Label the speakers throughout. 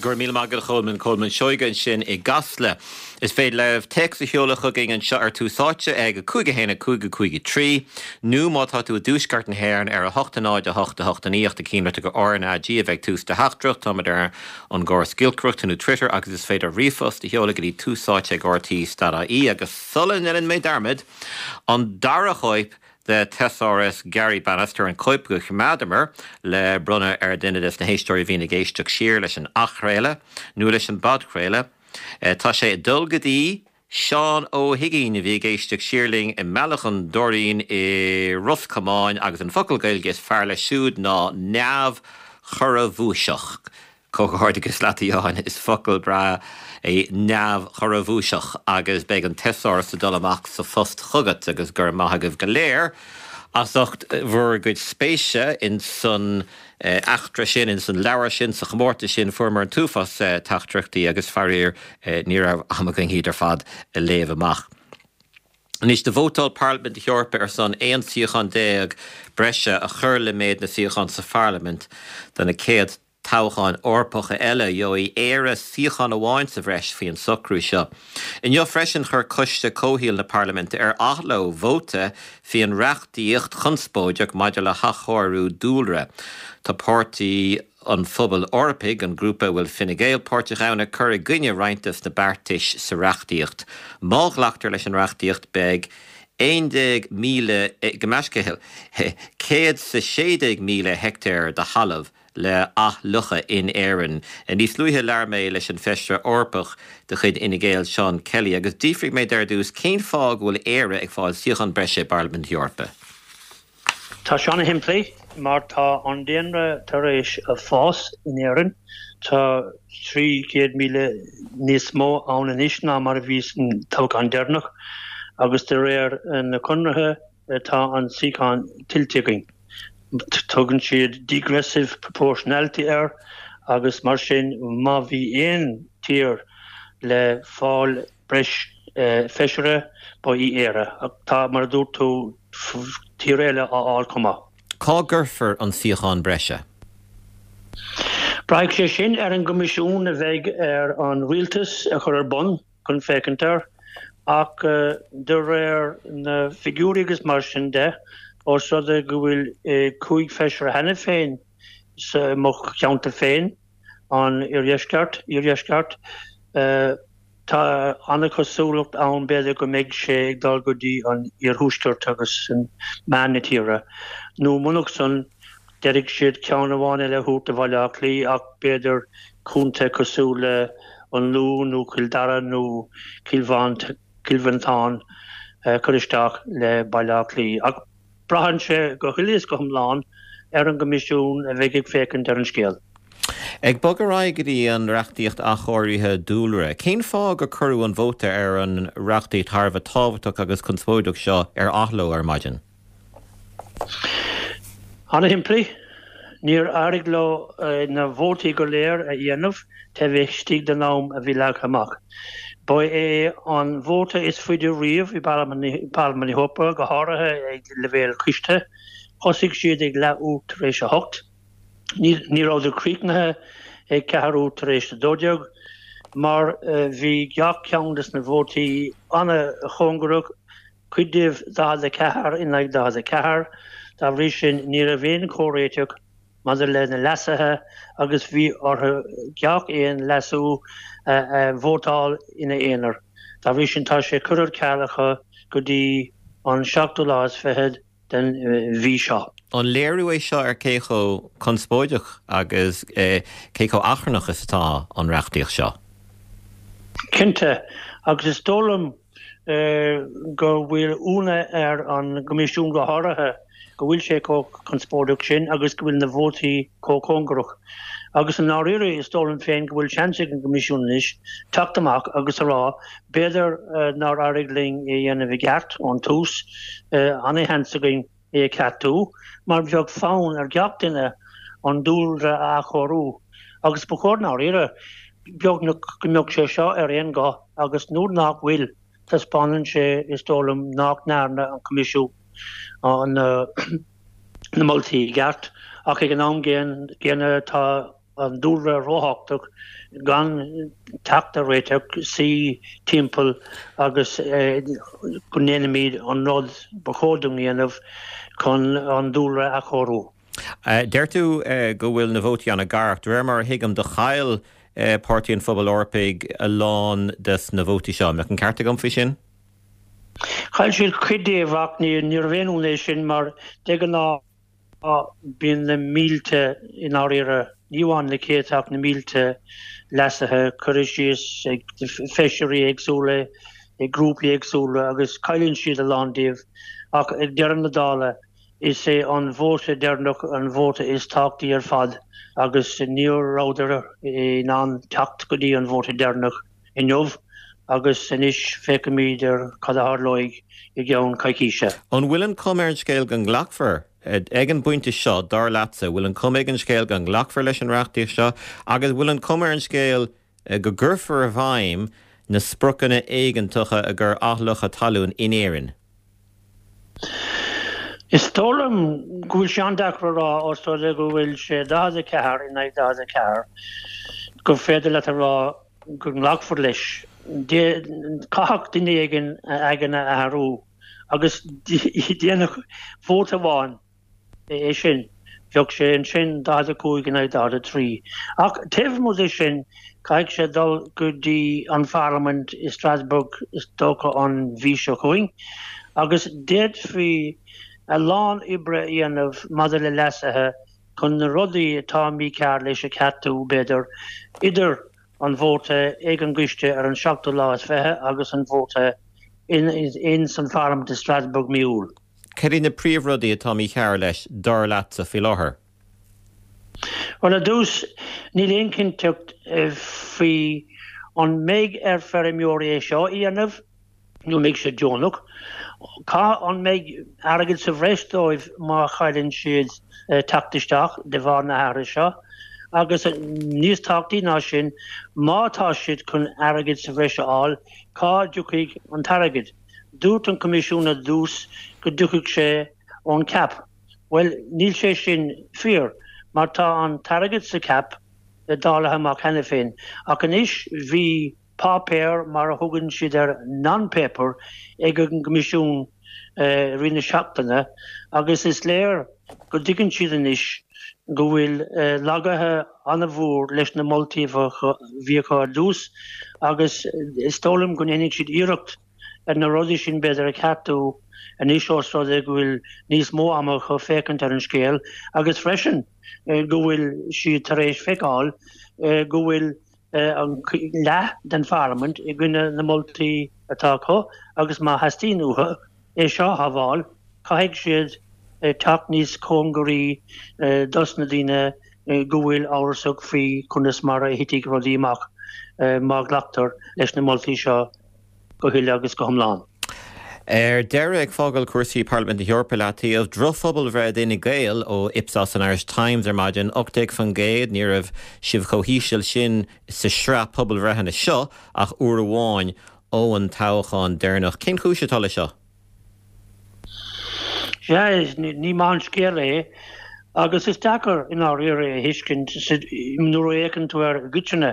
Speaker 1: Go raibh míle maith agat a Cholmáin, Colmán Seoige ansin i gCasla. Is féidir libh téacs a sheoladh chugainn anseo ar Tús Áite ag 5 1 5 5 3 nó má tá tú i dtuaisceart na hÉireann ar 8 0 8 8 9 ach déan cinnte gur RnaG a bheidh ag tús do theachtaireacht. Táimid ar an gcóras giolcaireachta nó Twitter agus is féidir ríomhphost a sheoladh go dtí túsáite ag rte.ie agus sula ndéanann mé dearmad, an dara chóip de Thesaurus Garry Bannister, an chóip a choimeádamar le bronnadh ar dhuine des na héisteoirí a bhíonn ag éisteacht siar leis an athchraoladh nó leis an bpodchraoladh. Tá sé ag dul go dtí Seán Ó hUiginn a bhí ag éisteacht siar linn i mBealach an Doirín i Ros Comáin agus an focal Gaeilge is fearr leis siúd ná neamhchorrabhuaiseach. Comhghairdeachas leat a Sheáin, is focal breá é neamhchorrabhuaiseach agus beidh an teasáras ag dul amach sa phost chugat agus go raibh maith agaibh go léir as ucht bhur gcuid spéise in san eachtra sin, in san leabhar sin, sa chomórtas sin. Fuaireamar an t-uafás teachtaireachtaí agus faraor ní raibh am againn iad ar fad a léamh amach. Anois, do vótáil Parlaimint na hEorpa ar son 11 suíochán breise a chur le méid na suíochán sa Pharlaimint do na céad toghcháin Eorpacha eile. Gheobhaidh Éire suíochán amháin sa bhreis faoin socrú seo. Inniu freisin chuir Coiste Comhshaoil na Parlaiminte ar athló vóta faoin reachtaíocht chonspóideach maidir le hathchóiriú dúlra. Tá Páirtí an Phobail Eorpaigh, an grúpa a bhfuil Fine Gael páirteach ann, ag cur i gcoinne roinnt des na beartais sa reachtaíocht. Má ghlactar leis an reachtaíocht beidh 11,000, gabh mo leithscéal, 116,000 heicteár de thalamh le athfhliuchadh in Éirinn. Níos luaithe labhair mé leis an Feisire Eorpach de chuid Fhine Gael, Seán Kelly, agus d'fhiafraigh mé de ar dtús cén fáth go bhfuil Éire ag fáil suíochán breise i bParlaimint na hEorpa.
Speaker 2: Tá sé ana-shimplí, mar tá an daonra tar éis fás in Éirinn, tá 300,000 níos mó ann anois ná mar a bhí san toghchán deireanach, agus de réir na conartha tá an suíochán tuillte againn. Tugann siad degressive proportionality air agus mar sin má bhí aon tír le fáil breis feisire ba í Éire. Ach tá, mar a dúirt tú, tíortha eile á fháil chomh maith.
Speaker 1: Cá gcuirfear an suíochán breise?
Speaker 2: Braithfidh sé sin ar an gcoimisiún a bheidh ar an rialtas a chur ar bun. chun féachaint air, ach de réir na bhfigiúirí agus mar sin de, ós rud é go bhfuil 5 feisire cheana féin sa mo cheantar féin, an Oirdheisceart, Iardheisceart, tá an-chosúlacht ann b'fhéidir go mbeidh sé ag dul go dtí an Iarthuaisceart agus meán na tíre, nó munach san, D'fhéadfadh siad ceann amháin eile a thabhairt do Bhaile Átha Cliath ach b'fhéidir contae cosúil le an Lú nó Cill Dara nó Cill Mhantáin a chur isteach le Baile Átha Cliath. Ach braitheann sé go huile is go hiomlán ar an gCoimisiún a bheidh ag féachaint ar an scéal.
Speaker 1: Ag bogadh ar aghaidh go dtí an reachtaíocht athchóirithe dúlra, cén fáth gur cuireadh an vóta ar an reachtaíocht thar a bheith tábhachtach agus conspóideach seo ar athló ar maidin?
Speaker 2: Ana-shimplí, níor éirigh leo na vótaí go léir a dhéanamh taobh istigh den am a bhí leagtha amach. Ba é an vóta is faide riamh i bParlaimint na hEorpa, go háirithe ag leibhéal coiste. Thosaigh siad ag leathuair tar éis a hocht. Ní rabhadar críochnaithe ag ceathrú tar éis a 12 mar bhí gach ceann des na vótaí ana-chóngarach. cuid díobh 44 in aghaidh 44. Dá bhrí sin, ní raibh aon chomhréiteach maidir le na leasuithe agus bhí orthu gach aon leasú a vótáil ina aonar. Dá bhrí sin, tá sé curtha ar ceal acu go dtí an seachtú lá is fichead den mhí seo.
Speaker 1: An léiriú é seo ar cé chomh conspóideach agus cé chomh achrannach is atá an reachtaíocht seo?
Speaker 2: Cinnte, agus is dóigh liom go bhfuil ionadh ar an gCoimisiún go háirithe go bhfuil sé chomh conspóideach sin agus go bhfuil na vótaí chomh cóngarach. Agus i ndáiríre is dóigh liom féin go bhfuil seans ag an gCoimisiún anois teacht amach agus a rá b'fhéidir nár éirigh linn é a dhéanamh i gceart ón tús, ana-sheans againn é a cheartú mar bheadh fonn ar gach duine an dúlra a athchóiriú agus ba chóir i ndáiríre beagnach go mbeadh sé seo ar aon ghuth agus nuair nach bhfuil, taispeánann sé, is dóigh liom, nach ndearna an Coimisiún na moltaí i gceart ach ag an am gcéanna tá. an dúlra róthábhachtach gan teacht ar réiteach, suí timpeall agus go ndéanfaimid an rud ba chóir dúinn a dhéanamh chun an dúlra a athchóiriú.
Speaker 1: Deir tú go bhfuil na vótaí an-ghar ach de réir mar a thuigim do chaill Páirtí an Phobail Eorpaigh a lán des na vótaí seo. An mbeadh an ceart agam faoi sin?
Speaker 2: Chaill siad cuid díobh ach ní níorbh aon ionadh é sin mar de ghnáth bíonn na mílte i ndáiríre, ní amháin na céadta ach na mílte leasuithe curtha síos ag feisirí éagsúla, ag grúpaí éagsúla agus cailleann siad a lán díobh ach ag deireadh na dála is é an vóta deireanach an vóta is tábhachtaí ar fad agus ní rabhadar in ann teacht go dtí an vóta deireanach inniu agus anois féachfaimid ar cad a tharlóidh i gceann coicíse.
Speaker 1: An bhfuil an chuma ar an scéal go nglacfar, ag an bpointe seo, dar leatsa, bhfuil an chuma ag an scéal go nglacfar leis an reachtaíocht seo agus bhfuil an chuma ar an scéal go gcuirfear i bhfeidhm na spriocanna éigeantacha i gcomhair athfhliuchadh talún in Éirinn?
Speaker 2: Is dóigh liom go bhfuil sé an-deacair a rá os rud é go bhfuil sé 44 in aghaidh 44 gur féidir leat a rá go nglacfar leis. Caithfidh duine éigin a aigne a athrú agus déanfadh vóta amháin é sin, bheadh sé ansin 45 in aghaidh 43. Ach taobh amuigh de sin, caithfidh sé dul go dtí an Pharlaimint i Strasbourg is dócha an mhí seo chugainn agus d'fhéadfaí a lán oibre a dhéanamh maidir le leasuithe chun na rudaí atá mícheart leis a cheartú, b'fhéidir, idir an vóta ag an gcoiste ar an seachtú lá is fiche agus an vóta in san Pharlaimint i Strasbourg mí Iúil.
Speaker 1: Cad iad na príomhrudaí atá mícheart leis, dar leatsa, faoi láthair?
Speaker 2: Bhuel, ar dtús, níl aon chinnteacht faoi an mbeidh ar feirmeoirí é seo a dhéanamh nó an mbeidh sé deonach. Cá an mbeidh airgead sa bhreis dóibh má chailleann siad teacht isteach de bharr na hathruithe seo? Agus níos tábhachtaí ná sin, má tá siad chun airgead sa bhreis a fháil, cá dtiocfaidh an t-airgead? Dúirt an Coimisiún ar dtús go dtiocfadh sé ón cap. Bhuel, níl sé sin fíor, mar tá an t-airgead sa cap dáilte amach cheana féin. Ach anois bhí páipéar, mar a thugann siad air, non-paper, ag an gCoimisiún i rith na seachtaine agus is léir go dtuigeann siad anois go bhfuil laguithe an-mhór leis na moltaí a bhí acu ar dtús agus is dóigh liom go ndéanfaidh siad iarracht ar na rudaí sin b'fhéidir a cheartú anois ós rud é go bhfuil níos mó ama acu féachaint ar an scéal agus freisin go bhfuil siad tar éis feiceáil go bhfuil an leath den pharlaimint i gcoinne na moltaí atá acu agus má theastaíonn uathu é seo a shábháil, caithfidh siad teacht níos cóngaraí dos na daoine go bhfuil amhrasach faoi conas mar a thitfidh rudaí amach má ghlactar leis na moltaí seo go huile agus go hiomlán.
Speaker 1: Ar deireadh, ag fágáil cúrsaí Parlaimint na hEorpa i leataobh, drochphobalbhreith d'Fhine Gael ó Ipsos an Irish Times ar maidin, 18%, ní raibh sibh chomh híseal sin sa sraith pobalbhreitheanna seo ach uair amháin ó an toghchán deireanach. Cén chúis atá leis seo?
Speaker 2: Sea, ní maith an scéal é agus is deacair i ndáiríre a thuiscint nuair a fhéachann tú air i gcoitinne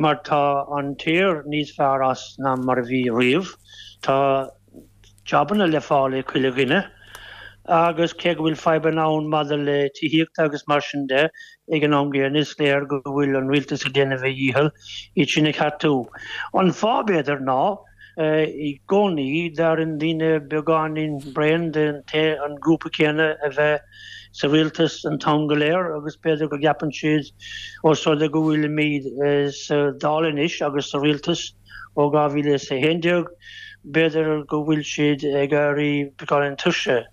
Speaker 2: mar tá an tír níos fearr as ná mar a bhí riamh. Tá jabanna le fáil ag chuile dhuine agus cé go bhfuil fadhbanna ann maidir le tithíocht agus mar sin de, ag an am gcéanna is léir go bhfuil an rialtas ag déanamh a dhícheall iad sin a cheartú. An fáth, b'fhéidir, ná i gcónaí d'éiríonn daoine beagáinín bréan den an grúpa céanna a bheith sa rialtas an t-am go léir agus b'fhéidir go gceapann siad ós rud é go bhfuilimid sa Dáil anois agus sa rialtas ó 2011, b'fhéidir go bhfuil siad ag éirí beagáinín tuirseach.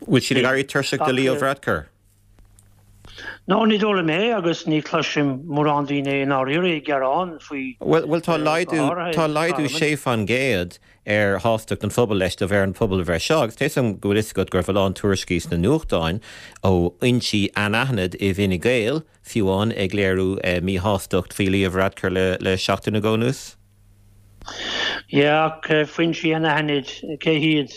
Speaker 1: Bhfuil siad ag éirí tuirseach de Leo Varadkar?
Speaker 2: No, ní dóigh liom é agus ní chloisim mórán daoine i ndáiríre ag gearán faoi.
Speaker 1: Bhuel, tá laghdú, tá laghdú 6% ar shástacht an phobail leis de bharr an phobalbhreith seo agus tá 'fhios agam go bhfuil 'fhios agat go raibh a lán tuairiscí sna nuachtáin ó fhoinsí anaithnid i bhFine Gael, fiú amháin, ag léiriú míshástacht faoi Leo Varadkar le seachtain nó dhó anuas.
Speaker 2: Yeah, ach foinsí anaithnid, cé hiad?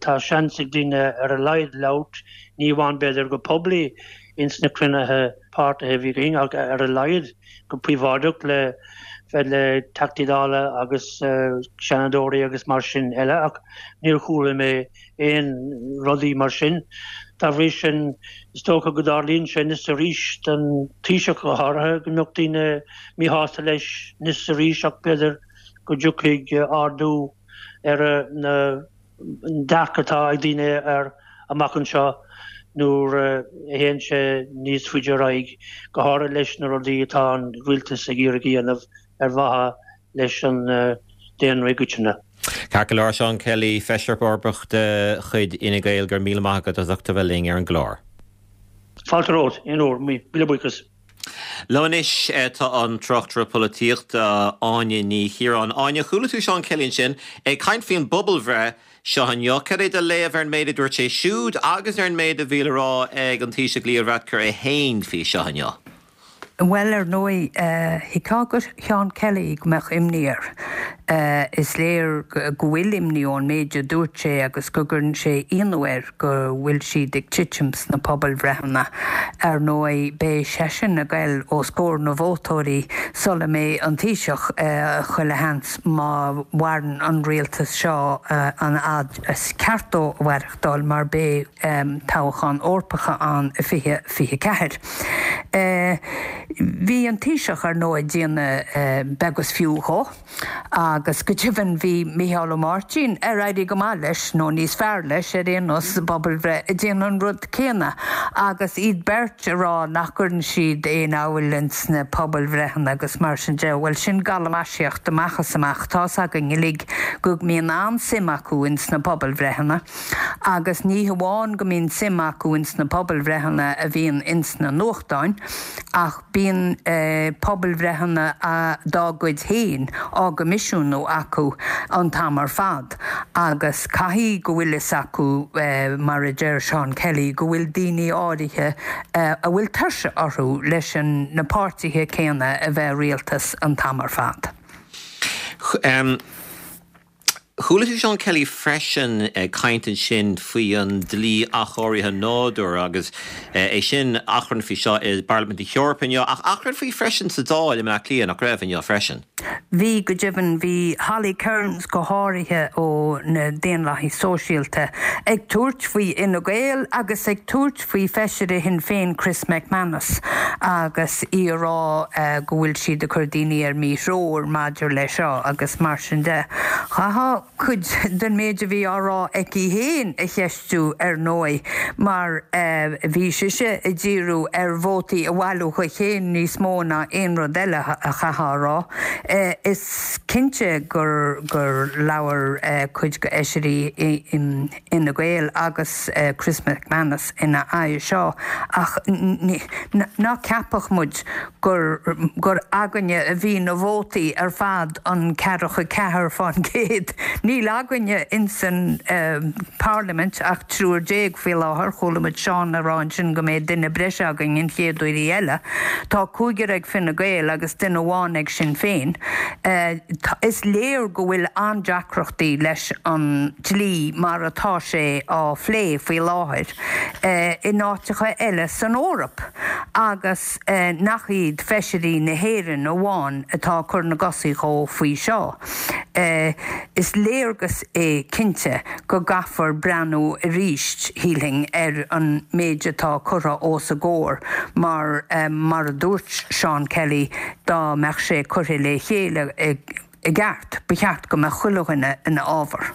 Speaker 2: Tá seans ag daoine ar a laghad labhairt, ní amháin b'fhéidir go poiblí. ins na cruinnithe páirtithe a bhí againn ach ar a laghad go príobháideach le bheith le Teachtaí Dála agus Seanadóirí agus mar sin eile ach níor chuala mé aon rudaí mar sin. Dá bhrí sin, is dócha go dtarlaíonn sé anois is arís don Taoiseach go háirithe go mbeadh daoine míshásta leis anois is arís ach b'fhéidir go dtiocfaidh ardú ar an dearcadh atá ag daoine air amach anseo nuair a théann sé níos faide ar aghaidh, go háirithe leis na rudaí atá an rialtas ag iarraidh a dhéanamh ar mhaithe leis an daonra i gcoitinne.
Speaker 1: Ceart go leor, Seán Kelly, Feisire Eorpach de chuid Fhine Gael, go raibh míle maith agat as ucht a bheith linn ar an gclár.
Speaker 2: Fáilte romhat, aon uair, míle buíochas.
Speaker 1: Liom anois tá an tráchtaire polaitíochta Áine Ní Chiaráin. Áine, chuala tú Seán Kelly ansin ag caint faoin bpobalbhreith seo inniu. Cad é do léamh ar an méid a dúirt sé siúd agus ar an méid a bhí le rá ag an Taoiseach Leo Varadkar é féin faoi seo inniu?
Speaker 3: Bhuel, ar ndóigh, thuigfeá do Sheán Kelly go mbeadh imní air. Is léir go bhfuil imní ón méid a dúirt sé agus go gcuireann sé ionadh air go bhfuil siad ag titim sna pobalbhreitheanna. Ar ndóigh, beidh seisean ag goil os comhair na vótóirí sula mbeidh an Taoiseach, chuile sheans, má mhaireann an rialtas seo an fhad is ceart dó a mhaireachtáil mar beidh toghcháin Eorpacha ann i 2024. Bhí an Taoiseach, ar ndóigh, ag déanamh beag is fiú dhó agus go deimhin bhí Micheál Ó Máirtín, ar éirigh go maith leis, nó níos fearr leis ar aon nós, sa bpobalbhreith, ag déanamh an rud céanna agus iad beirt ag rá nach gcuireann siad aon fheabhail ins na pobalbhreitheanna agus mar sin de. Bhuel, sin galamaisíocht amach is amach. Tá's againn uilig go mbíonn an-suim acu ins na pobalbhreitheanna. Agus ní hamháin go mbíonn suim acu ins na pobalbhreitheanna a bhíonn ins na nuachtáin, ach bíonn pobalbhreitheanna dá gcuid féin á gcoimisiúnú acu an t-am ar fad. Agus caithfidh go bhfuil fhios acu, mar a deir Seán Kelly, go bhfuil daoine áirithe a bhfuil tuirse orthu leis na páirtithe céanna a bheith i rialtas an t-am ar fad.
Speaker 1: Chuala tú Seán Kelly freisin ag caint ansin faoi an dlí athchóirithe nádúir agus é sin, achrann faoi seo i bParlaimint na hEorpa inniu ach achrann faoi freisin sa Dáil i mBleá Cliath, nach raibh, inniu freisin?
Speaker 3: Bhí, go deimhin. Bhí Holly Cairns go háirithe ó na Daonlathaigh Sóisialta ag tabhairt faoi Fhine Gael agus ag tabhairt faoi Feisire Shinn Féin Chris McManus agus í ag rá go bhfuil siad ag cur daoine ar míthreoir maidir le seo agus mar sin de. Chaithfeá cuid den méid a bhí á rá aici féin a cheistiú ar ndóigh mar bhí sise ag díriú ar vótaí a bhailiú dhi féin níos mó ná aon rud eile chaithfeá a rá. Is cinnte gur labhair cuid de fheisirí Fhine Gael agus Chris McManus ina aghaidh seo ach ná ceapadh muid gur gur againne a bhí na vótaí ar fad, an ceathracha 4%. Níl againne insan bParlaimint ach 13 faoi láthair. Chuala muid Seán ag rá ansin go mbeidh duine breise againn an chéad uair eile. Tá cúigear ag Fine Gael agus duine amháin ag Sinn Féin. Is léir go bhfuil an-deacrachtaí leis an dlí mar atá sé á phlé faoi láthair in áiteacha eile san Eoraip agus nach iad feisirí na hÉireann amháin atá ag cur na gcosaí dhó faoi seo. Is léargas é cinnte go gcaithfear breathnú arís, shílfinn, ar an méid atá curtha os a gcomhair mar, mar a dúirt Seán Kelly, dá mbeadh sé curtha le chéile i gceart, ba cheart go mbeadh chuile dhuine ina fhábhar.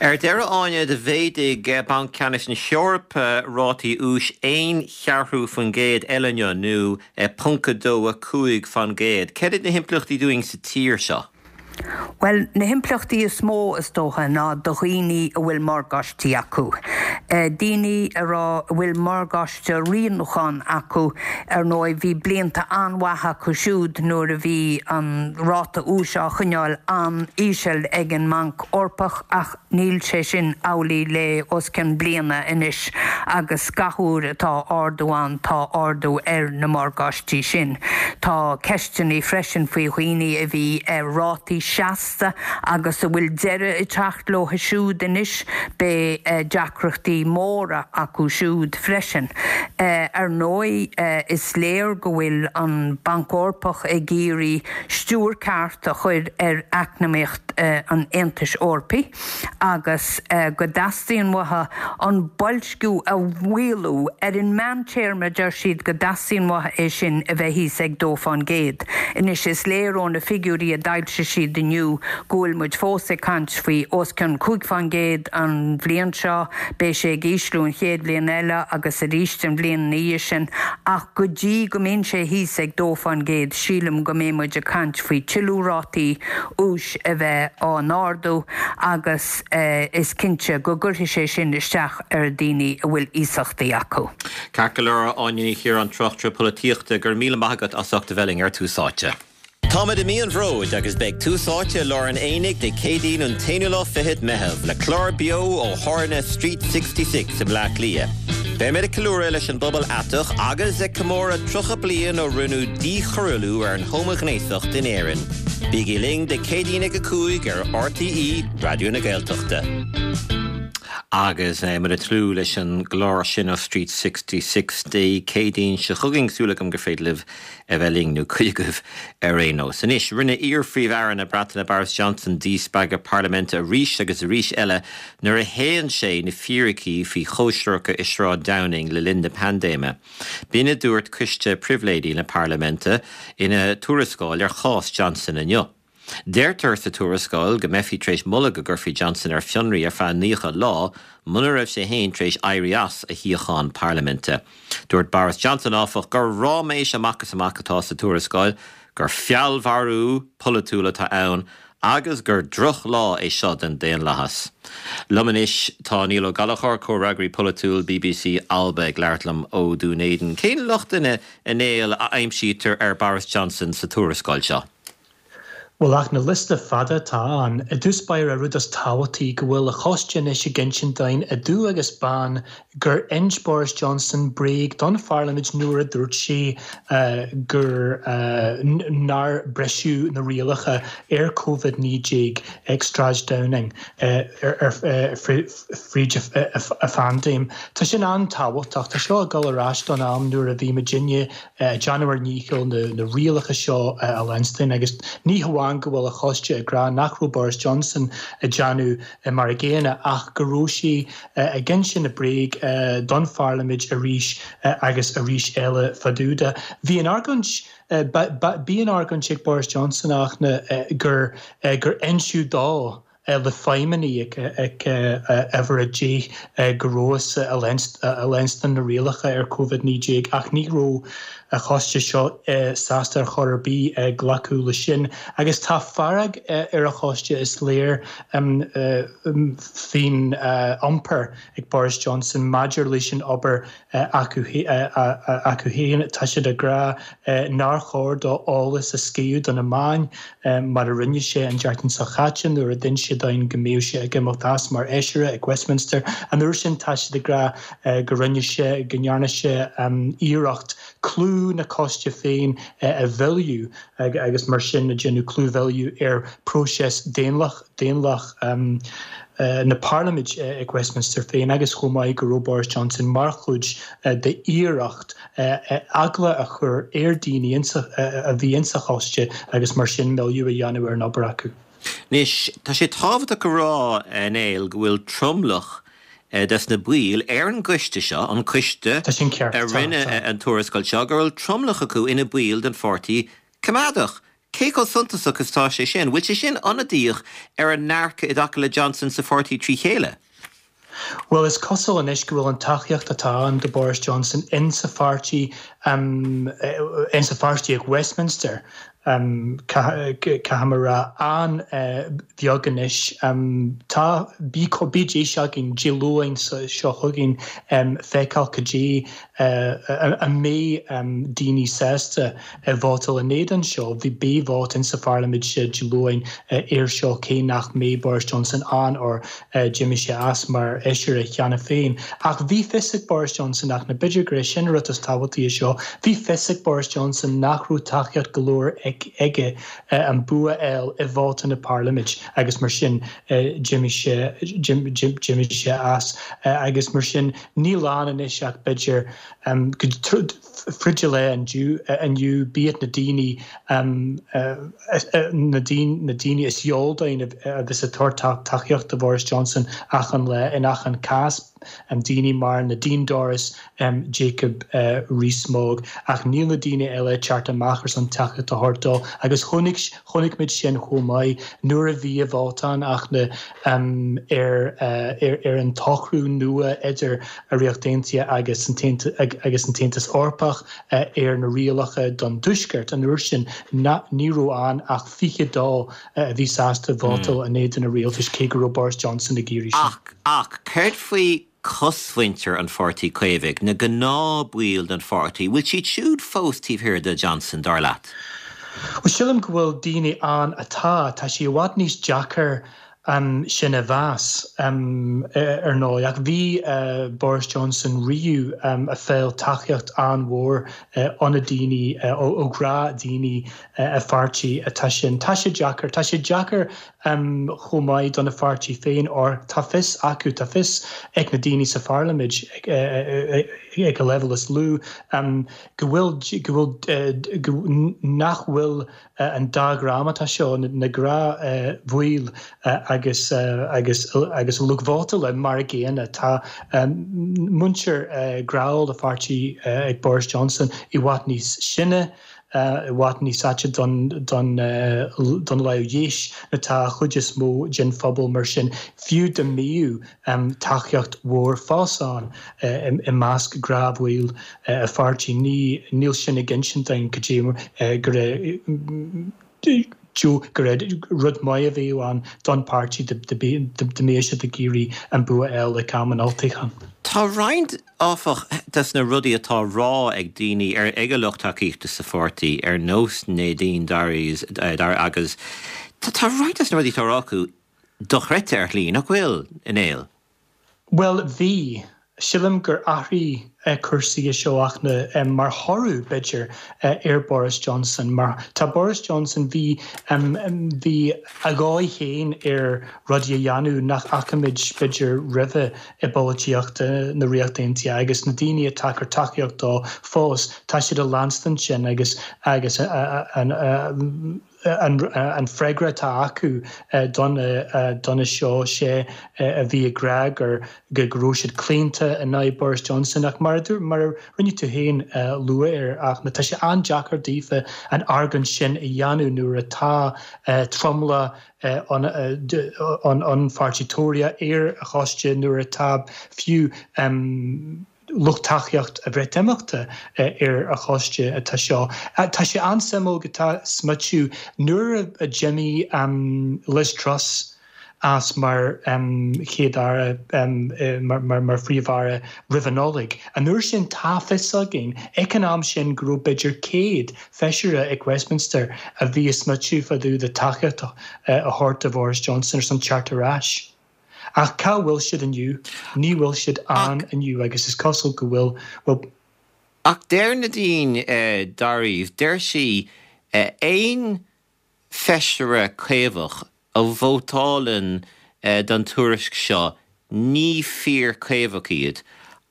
Speaker 1: Ar deireadh, Áine, do mhéadaigh Banc Ceannais na hEorpa rátaí úis aon cheathrú faoin gcéad eile inniu, nó 0.25 faoin gcéad. Céard iad na himpleachtaí dúinn sa tír seo?
Speaker 3: Bhuel, na himpleachtaí is mó, is dócha, ná do dhaoine a bhfuil morgáistí acu. Daoine a raibh, a bhfuil morgáiste rianúcháin acu, ar ndóigh, bhí blianta an-mhaith acu siúd nuair a bhí an ráta úis á choinneáil an-íseal ag an mBanc Eorpach ach níl sé sin amhlaidh le os cionn bliana anois agus gach uair atá ardú ann tá ardú ar na morgáistí sin. Tá ceisteanna freisin faoi dhaoine a bhí ar rátaí. seasta agus a bhfuil deireadh ag teacht leo siúd anois, beidh deacrachtaí móra acu siúd freisin. Ar ndóigh, is léir go bhfuil an Banc Eorpach ag iarraidh stiúir ceart a chur ar eacnamaíocht an Aontais Eorpaigh agus go dteastaíonn uathu an boilsciú a mhaolú. Ar an meántéarma, deir siad go dteastaíonn uathu é sin a bheith thíos ag dó fán gcéad. Anois, is léir ó na figiúirí a d'fhoilsigh siad inniu go bhfuil muid fós ag caint faoi os cionn 5% an bhliain seo, beidh sé ag ísliú an chéad bhliain eile agus arís an bhliain ina dhiaidh sin, ach go dtí go mbíonn sé thíos ag 2%, sílim go mbeidh muid ag caint faoi tuilleadh rátaí úis a bheith á n-ardú agus is cinnte go gcuirfidh sé sin isteach ar dhaoine a bhfuil iasachtaí acu.
Speaker 1: Ceart go leor, Áine Ní Chiaráin, tráchtaire polaitíochta, go raibh míle maith agat as ucht a bheith linn ar Tús Áite. Táimid i mí an Bhróid agus beidh Tús Áite i lár an aonaigh Dé Céadaoin an t-aonú lá fichead Meitheamh le clár beo ó thábhairne Street 66 i mBleá Cliath. Beimid ag ceiliúradh leis an bpobal aiteach agus ag comóradh 30 bliain ó rinneadh díchoiriúlú ar an homaighnéasacht in Éirinn. Bígí linn Dé Céadaoin ag 5 ar RTÉ Raidió na Gaeltachta. Agus muid ag tnúth leis an gclár sin ó Street 66 Dé Céadaoin seo chugainn, súil agam gur féidir libh a bheith linn, nó cuid agaibh ar aon nós. Anois, rinne iar-Phríomh-Aire na Breataine Boris Johnson díspeagadh parlaiminte arís agus arís eile nuair a shéan sé na fíricí faoi chóisireacha i Sráid Downing le linn na paindéime. B'in a dúirt Coiste Pribhléidí na Parlaiminte ina tuarascáil ar chás Johnson inniu. Deirtear sa tuarascáil go mbeifí tar éis moladh go gcuirfí Johnson ar fionraí ar feadh 90 lá muna raibh sé féin tar éis éirí as a shuíochán parlaiminte. Dúirt Boris Johnson, áfach, gur ráiméis amach is amach atá sa tuarascáil, gur feallmharú polaitiúil atá ann agus gur drochlá é seo don daonlathas. Liom anois tá Niall Ó Gallchóir, comhfhreagraí polaitiúil bbc Alba ag labhairt liom ó Dún Éideann. Cén lochtanna, a Néill, a aimsítear ar Boris Johnson sa tuarascáil seo?
Speaker 4: Bhuel, ach na liosta fada atá ann, i dtús báire, rud is tábhachtaí go bhfuil a choiste anois ag insint dúinn i dubh agus bán gur ins Boris Johnson bréag don pharlaimint nuair a dúirt sé gur nár briseadh na rialacha ar Covid-19 ag Sráid Downing ar fríd a phaindéim. Tá sin an-tábhachtach. Tá seo ag dul ar ais don am nuair a bhí muidinne ag déanamh ár ndícheall na rialacha seo a leanstan agus ní hamháin go bhfuil a choiste ag rá nach raibh Boris Johnson ag déanamh mar a gcéanna ach go raibh sé ag insint na bréag don pharlaimint arís agus arís eile fá dtaobh de. Bhí an argóint, bhí an argóint ag Boris Johnson ach gur gur inseadh dó le feidhmeannaigh ag uimhir 10 go rabhthas ag leanstan na rialacha ar Covid-19 ach ní raibh a choiste seo sásta ar chor ar bith glacadh leis sin. Agus tá fearg ar a choiste, is léir, faoin iompar ag Boris Johnson maidir leis an obair acu féin. Tá siad ag rá nár chóir dó eolas a scaipeadh do na meáin mar a rinne sé an tseachtain seo chaite nuair a d'inis sé dúinn go mbeadh sé ag imeacht as mar fheisire ag Westminster. An uair sin tá siad ag rá go rinne sé, go ndearna sé iarracht clú na coiste féin a mhilleadh agus mar sin ag déanamh clúmhilleadh ar próiseas daonlach daonlach na Parlaiminte ag Westminster féin agus chomh maith go raibh Boris Johnson mar chuid d'iarracht eagla a chur ar daoine a bhí insa choiste agus mar sin milleadh a dhéanamh
Speaker 1: ar
Speaker 4: an obair acu.
Speaker 1: Anois, tá sé tábhachtach a rá, a Néill, go bhfuil tromlach des na baill ar an gcoiste seo, an coiste a rinne an tuarascáil seo, go bhfuil tromlach acu ina baill den pháirtí Coimeádach. Cé chomh suntasach is atá sé sin? Bhfuil sé sin ionadaíoch ar an ndearcadh i dtaca le Johnson sa pháirtí trí chéile?
Speaker 4: Bhuel, is cosúil anois go bhfuil an tacaíocht atá ann do Boris Johnson insa pháirtí, insa pháirtí ag Westminster, caithfidh mé a rá, an-bheag anois. Tá, beidh deis againn Dé Luain seo chugainn feiceáil cad é an mbeidh daoine sásta vótáil in éadan seo. Bhí beidh vóta insa pharlaimint Dé Luain air seo cé nach mbeidh Boris Johnson ann or d'imigh sé as mar fheisire cheana féin. Ach bhí fios ag Boris Johnson ach na b'fhéidir gur é sin an rud is tábhachtaí seo. seo. Bhí fios ag Boris Johnson nach raibh tacaíocht go leor aige an bua a fháil i vóta na Parlaimint agus mar sin d'imigh sé d'imigh sé as agus mar sin níl ann anois ach b'fhéidir go fríd an lae inniu b'iad na daoine na daoine is eol dúinn a bheas ag tabhairt tacaíocht do Bhoris Johnson achan lá in achan cás, daoine mar Nadine Dorries, Jacob Rees-Mogg ach níl na daoine eile ag teacht amach ar son tacaíocht a thabhairt dó agus chonaic chonaic muid sin chomh maith nuair a bhí an vóta ann ach na ar ar an tsocrú nua idir an Ríocht Aontaithe agus an agus an tAontas Eorpach ar na rialacha don Tuaisceart. An uair sin ní raibh ann ach 22 a bhí sásta vótáil in éadan an rialtais cé go raibh Boris Johnson ag iarraidh sin.
Speaker 1: Ach, ach céard faoi cosmhuintir an Pháirtí Caomhaigh, na gnáthbhaill den pháirtí, bhfuil siad siúd fós taobh thiar de Johnson, dar leat?
Speaker 4: Bhuel, sílim go bhfuil daoine ann atá. Tá sé i bhfad níos deacair sin a mheas, ar ndóigh. Ach bhí Boris Johnson riamh ag fáil tacaíocht an-mhór ó na daoine, ó ghnáthdhaoine a pháirtí atá sin. Tá sé deacair. Tá sé deacair chomh maith do na pháirtí féin óir tá fios acu, tá fios ag na daoine sa pharlaimint ag an leibhéal is lú go bhfuil, go bhfuil, go, nach bhfuil an dá dhream atá seo, na gnáthbhaill agus, agus, agus an lucht vótála mar a gcéanna. Tá muintir ghnáthbhaill an pháirtí ag Boris Johnson i bhfad níos sine, i bhfad níos aite don lámh dheis atá an chuid is mó den phobal mar sin fiú dá mbíodh tacaíocht mhór fós ann i measc gnáthbhaill a pháirtí níl sin ag insint dúinn go dtí go raibh go raibh rud maith a bheadh ann don pháirtí dá mbeadh siad ag iarraidh an bua a fháil ag am an olltoghcháin.
Speaker 1: Tá roinnt, áfach, des na rudaí atá á rá ag daoine, ar, ag a lucht tacaíochta sa pháirtí, ar nós Nadine Dorries, agus tá roinnt des na rudaí atá á rá acu dochreidte ar shlí, nach bhfuil, a Néill?
Speaker 4: Bhuel, bhí. Sílim gur athraigh cúrsaí i seo ach na, mar thoradh, b'fhéidir, ar Boris Johnson. Mar tá Boris Johnson, bhí, bhí a dhóigh féin ar rudaí a dhéanamh nach bhfaca muid, b'fhéidir, roimhe i bpolaitíocht na Ríochta Aontaithe agus na daoine atá ag cur tacaíocht dó fós, tá siad ag leanstan sin agus, agus an, An freagra atá acu do na seo, sé a bhí ag rá gur go raibh siad claonta in aghaidh Boris Johnson ach mar a mar a rinne tú féin lua air ach tá sé an-deacair daofa an argóint sin a dhéanamh nuair atá tromlach an Pháirtí Tóraíoch ar a choiste nuair atá fiú lucht tacaíocht an Bhreatimeachta ar a choiste atá seo. Tá sé an-suimiúil go tá smaoitiú nuair a d'imigh Liz Truss as mar Chéad-Aire, mar Phríomh-Aire roimh an Nollaig. An uair sin tá fios againn ag an am sin go raibh b'fhéidir 100 feisire ag Westminster a bhí ag smaoitiú fá dtaobh de tacaíocht a thabhairt do Bhoris Johnson ar son teacht ar ais. Ach cá bhfuil siad inniu? Ní bhfuil siad ann inniu agus is cosúil go bhfuil, bhuel.
Speaker 1: Ach deir Nadine Dorries, deir sí, aon feisire Caomhach a vótálann don tuairisc seo ní fíor-Chaomhach iad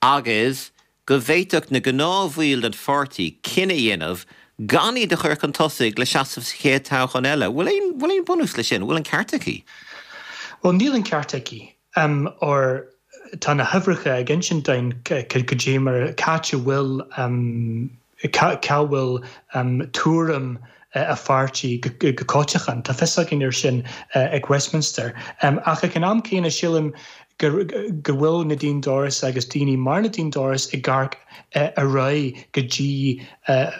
Speaker 1: agus go bhféadfadh na gnáthbhaill den pháirtí cinneadh a dhéanamh gan iad a chur chun tosaigh le seasamh sa chéad toghchán eile. Bhfuil aon, bhfuil aon bunús leis sin? Bhfuil an ceart aici?
Speaker 4: Bhuel, níl an ceart aici. Óir tá na huimhreacha ag insint dúinn cad é mar, cá háit a bhfuil, cá bhfuil tuairim a pháirtí go coitianta. Tá fios againn air sin ag Westminster. Ach ag an am céanna sílim go bhfuil Nadine Dorries agus daoine mar Nadine Dorries ag amharc ar aghaidh go dtí an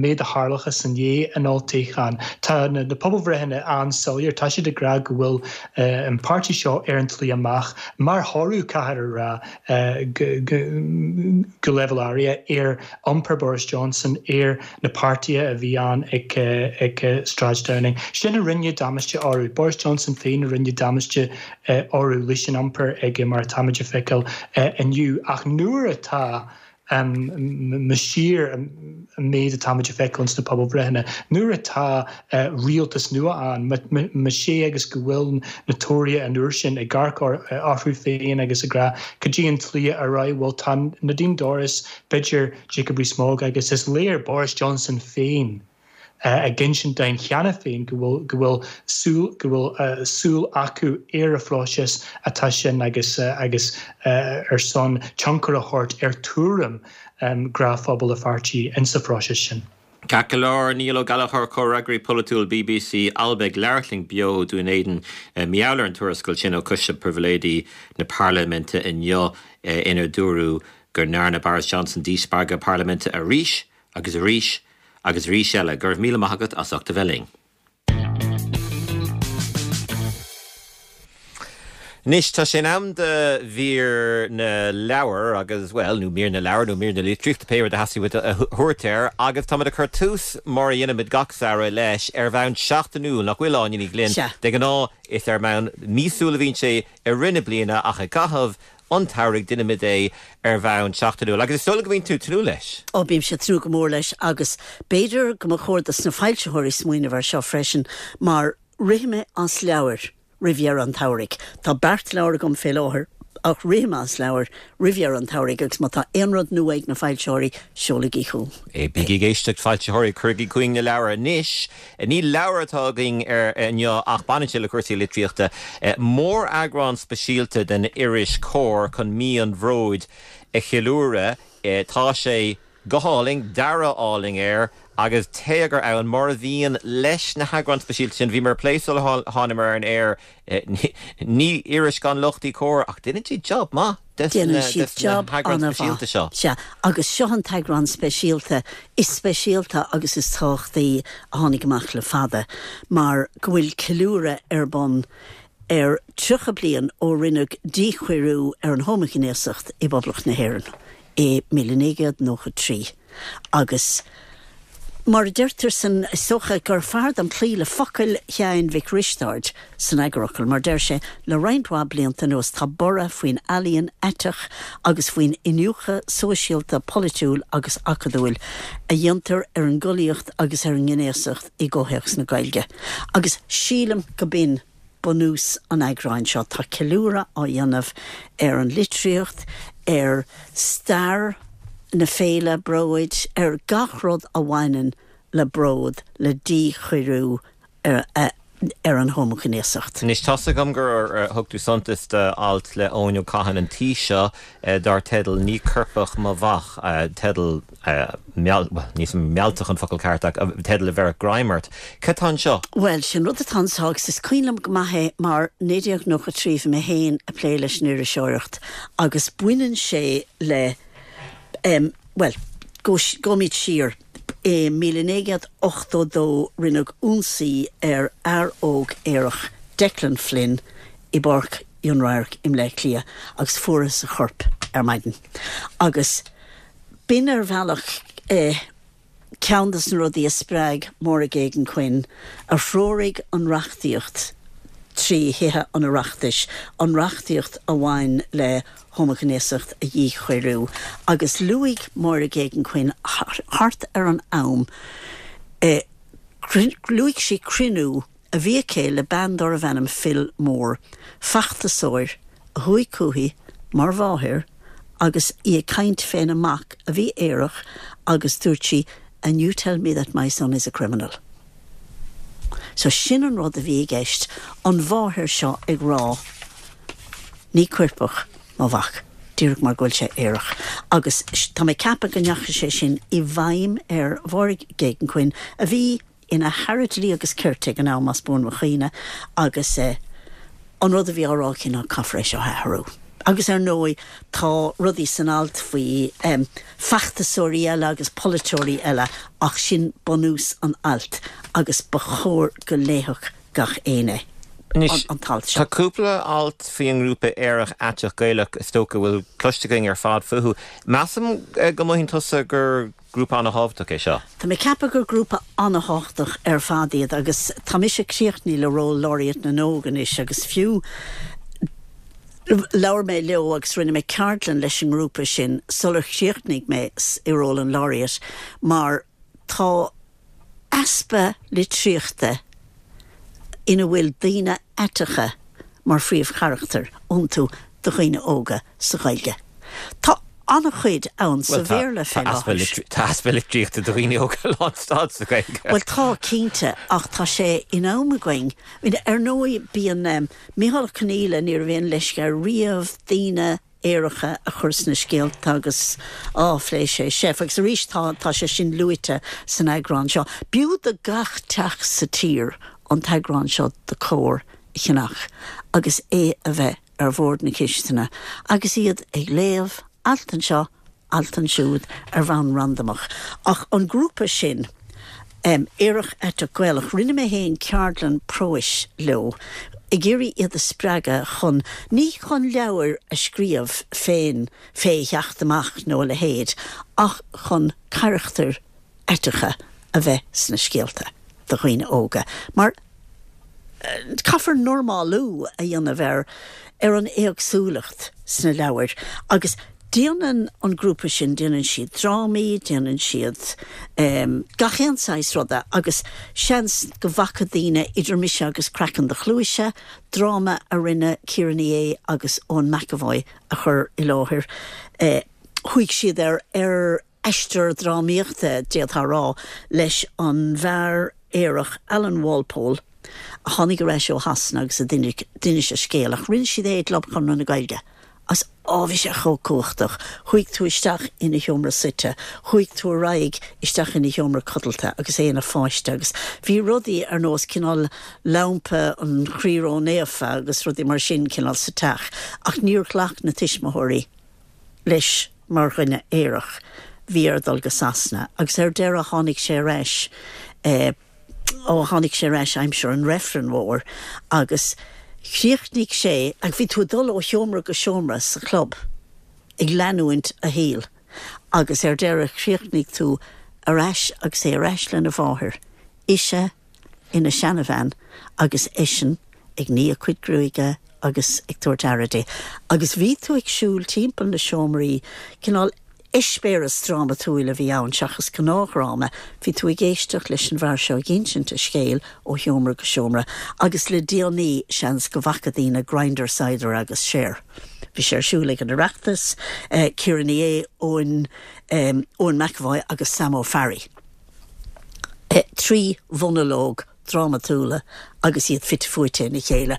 Speaker 4: mhéid a tharlóchas i ndiaidh an olltoghcháin. Tá na pobalbhreitheanna an-soiléir, tá siad ag rá go bhfuil an páirtí seo ar an tslí amach mar thoradh, caithfear a rá, go leibhéal áirithe ar iompar Boris Johnson, ar na páirtithe a bhí ann ag Sráid Downing. Sin a rinne damáiste orthu. Boris Johnson féin a rinne damáiste orthu leis an iompar aige mar atáimid a feiceáil inniu. Ach nuair atá. Más fíor an méid atáimid a feiceáil ins na pobalbhreitheanna, nuair atá rialtas nua ann, más é agus go bhfuil na Tóraithe an uair sin ag amharc orthu féin agus ag rá cad é an tslí ar aghaidh, bhuel tá Nadine Dorries, b'fhéidir Jacob Rees-Mogg agus is léir Boris Johnson féin, ag insint dúinn cheana féin go bhfuil go bhfuil súil go bhfuil súil acu ar an phróiseas atá sin agus agus ar son tionchar a thabhairt ar tuairim gnáthphobal a pháirtí insa phróiseas sin.
Speaker 1: Ceart go leor, Niall Ó Gallchóir, Comhfhreagraí Polaitiúil bbc Alba ag labhairt linn beo ó Dún Éideann mar gheall ar an tuarascáil sin ó Choiste Pribhléidí na Parlaiminte inniu inar dúradh go ndearna Boris Johnson díspeagadh parlaiminte arís agus arís agus arís eile, go raibh míle maith agat as ucht a bheith linn. Anois, tá sé in am do mhír na leabhar agus, bhuel, nó mír na leabhar nó mír na litríochta, pé rud a theastaigh uait a thabhairt air, agus táimid ag cur tús, mar a dhéanaimid gach samhradh, leis ar bhonn seachtainiúil, nach bhfuil, Áine Ní Ghlinn?
Speaker 5: Sea.
Speaker 1: De ghnáth, is ar mbonn míosúil a bhíonn sé i rith na bliana ach i gcaitheamh an tsamhraidh déanaimid é ar bhonn seachtainiúil agus is dóigh liom go mbíonn tú ag tnúth leis.
Speaker 5: Ó, bímse ag tnúth go mór leis agus b'fhéidir go mba chóir dos na foilsitheoirí smaoineamh air seo freisin mar rithfidh mé as leabhair roimh dheireadh an tsamhraidh. Tá beart leabhar agam fé láthair ach rithfidh mé as leabhair roimh dheireadh an tsamhraidh agus má tá aon rud nua ag na foilsitheoirí, seolaigí chugam
Speaker 1: é. Bígí ag éisteacht, foilsitheoirí, cuirigí chugainn na leabhair anois. Ní leabhar atá againn inniu ach baineann sé le cúrsaí litríochta. Móreagrán speisialta den iris Comhar chun Mí an Bhróid a cheiliúradh. Tá sé go hálainn, dearadh álainn air agus téagar ann, mar a bhíonn leis na heagráin speisialta sin. Bhíomar ag plé sular thánamar ar an aer. Ní iris gan locht í Comhar ach déanann siad jab maith des
Speaker 5: na heagráin speisialta seo. Sea, agus seo an t-eagrán speisialta is speisialta agus is tábhachtaí a tháinig amach le fada mar go bhfuil ceiliúradh ar bun ar 30 bliain ó rinneadh díchoiriú ar an homaighnéasacht i bPoblacht na hÉireann i 1993 agus mar a deirtear san, is dócha gur fearr dom cloí le focail Sheáin Mhic Risteaird san eagarfhocal, mar deir sé, le roinnt mhaith blianta anuas tá borradh faoin ealaíon aiteach agus faoin iniúchadh sóisialta, polaitiúil agus acadúil a dhéantar ar an gcollaíocht agus ar an ngnéasacht i gcomhthéacs na Gaeilge. Agus sílim go b'in bunús an eagráin seo. Tá ceiliúradh á dhéanamh ar an litríocht, ar stair na féile bróid, ar gach rud a bhaineann le bród, le díchoiriú ar an homaighnéasacht.
Speaker 1: Anois, tá's agam gur thug tú suntas d'alt le Eoin Ó Cadhain an tí seo dar teideal 'Ní Coirpeach Mo Mhac', teideal meall, bhuel, níl 's a'm mealltach an focal ceart ach teideal a bheirfeadh greim ort. Cad tá anseo?
Speaker 5: Bhuel, sin rud atá anseo agus is cuimhin liom go maith é mar 1993 bhí mé féin ag plé leis an iriseoireacht agus baineann sé le, em, bhuel, gabhaimid siar, i 1982 rinneadh ionsaí ar fhear óg aerach, Declan Flynn, i bPáirc Fhionn Radhairc i mBleá Cliath agus fuarthas a chorp ar maidin agus b'in ar bhealach ceann de na rudaí a spreag Máire Geoghegan-Quinn, a threoraigh an reachtaíocht trí Thithe an Oireachtais, an reachtaíocht a bhain le homaighnéasacht a dhíchoiriú. Agus luaigh Máire Geoghegan-Quinn thart ar an am, luaigh sí cruinniú a bhí aici le bean darbh ainm Phil Moore, feachtasóir a chuaigh chúithi mar mháthair agus í ag caint féna mac a bhí aerach agus dúirt sí and you tell me that my son is a criminal. So sin an rud a bhí i gceist, an mháthair seo ag rá ní coirpeach mo mhac, díreach mar go bhfuil sé aerach. Agus tá mé ag ceapadh go ndeachaigh sé sin i bhfeidhm ar Mháire Geoghegan-Quinn a bhí ina hAire Dlí agus Cirt ag an am, más buan mo chuimhne, agus an rud a bhí á rá aici ná caithfear é seo a athrú. Agus ar ndóigh tá rudaí san alt faoi feachtasóirí eile agus polaiteoirí eile ach sin bunús an ailt agus ba chóir go léifeadh gach éinne
Speaker 1: Anois,
Speaker 5: an t-alt seo.
Speaker 1: tá cúpla alt faoi an ngrúpa Aerach Aiteach Gaelach is dócha go bhfuil cloiste againn ar fad fúthu. Measaim go mothaíonn tusa gur Grúpa ana-thábhachtach é seo.
Speaker 5: Tá mé ag ceapadh gur grúpa ana-thábhachtach ar fad iad agus tá mise críochnaithe le ról Laureate na nÓg anois agus fiú Labhair mé leo agus rinne mé ceardlann leis an ngrúpa sin sular chríochnaigh mé i ról an Laureate mar tá easpa litríochta ina bhfuil daoine aiteacha mar phríomhcharachtair iontu do dhaoine óga sa Ghaeilge. Tá an-chuid ann sa Bhéarla fé
Speaker 1: láthair. Tá easpa litríochta do dhaoine óga lánstad sa Ghaeilge.
Speaker 5: Bhuel tá, cinnte, ach tá sé in am againn. Ar ndóigh bíonn Micheál Ó Conghaile, ní raibh aon leisce air riamh daoine aeracha a chur sna scéalta agus á, phléigh sé seif agus arís tá, tá sé sin luaite san eagrán seo. B'fhiú do gach teach sa tír an t-eagrán seo de Comhar a cheannach agus é a bheith ar bhord na cistine agus iad ag léamh alt anseo, alt ansiúd ar bhonn randamach. Ach an grúpa sin, Aerach Aiteach Gaelach, rinne mé féin ceardlann próis leo ag iarraidh iad a spreagadh chun, ní chun leabhair a scríobh féin fé theacht amach nó a leithéid, ach chun carachtair aiteacha a bheith sna scéalta do dhaoine óga. Mar caithfear normálú a dhéanamh ar ar an éagsúlacht sna leabhair agus déanann an grúpa sin, déanann siad drámaí, déanann siad gach aon saghas ruda agus seans go bhfaca daoine Idir Mise agus Craiceann do Chluaise, dráma a rinne Ciara Ní É agus Eoin McEvoy a chur i láthair, chuaigh siad ar ar. aistear drámaíochta, d'fhéadfá a rá, leis an bhfear aerach Alan Walpole a tháinig ar ais ó Shasana agus a d'inis a scéal, ach rinne siad é i gClub Chonradh na Gaeilge agus á, bhí sé chomh cumhachtach. Chuaigh tú isteach ina sheomra suite, chuaigh tú ar aghaidh isteach ina sheomra codlata agus é ina pháiste agus bhí rudaí ar nós cineál lampa an Chroí Ró-Naofa agus rudaí mar sin cineál sa teach ach níor ghlac na tuismitheoirí leis mar dhuine aerach. Bhí air dul go Sasana agus ar deireadh tháinig sé ar ais, ó tháinig sé ar ais aimsir an reifrinn mhóir agus chríochnaigh sé, agus bhí tú ag dul ó sheomra go seomra sa chlub ag leanúint a shaoil agus ar deireadh chríochnaigh tú ar ais agus é ar ais lena mháthair, ise ina seanabhean agus eisean ag ní a cuid gruaige agus ag tabhairt aire di. Agus bhí tú ag siúl timpeall na seomraí, cineál eispéireas drámatúil a bhí ann seachas gnáthdhráma, bhí tú ag éisteacht leis an bhfear seo ag insint a scéil ó sheomra go seomra agus le déanaí seans go bhfaca daoine Grindr Cider agus Cher. Bhí sé ar siúl ag an Oireachtas, Ciara Ní É, Eoin, Eoin McEvoy agus Sam Ó Fearraigh. 3 mhonalóg drámatúla agus iad fite fuaite ina chéile.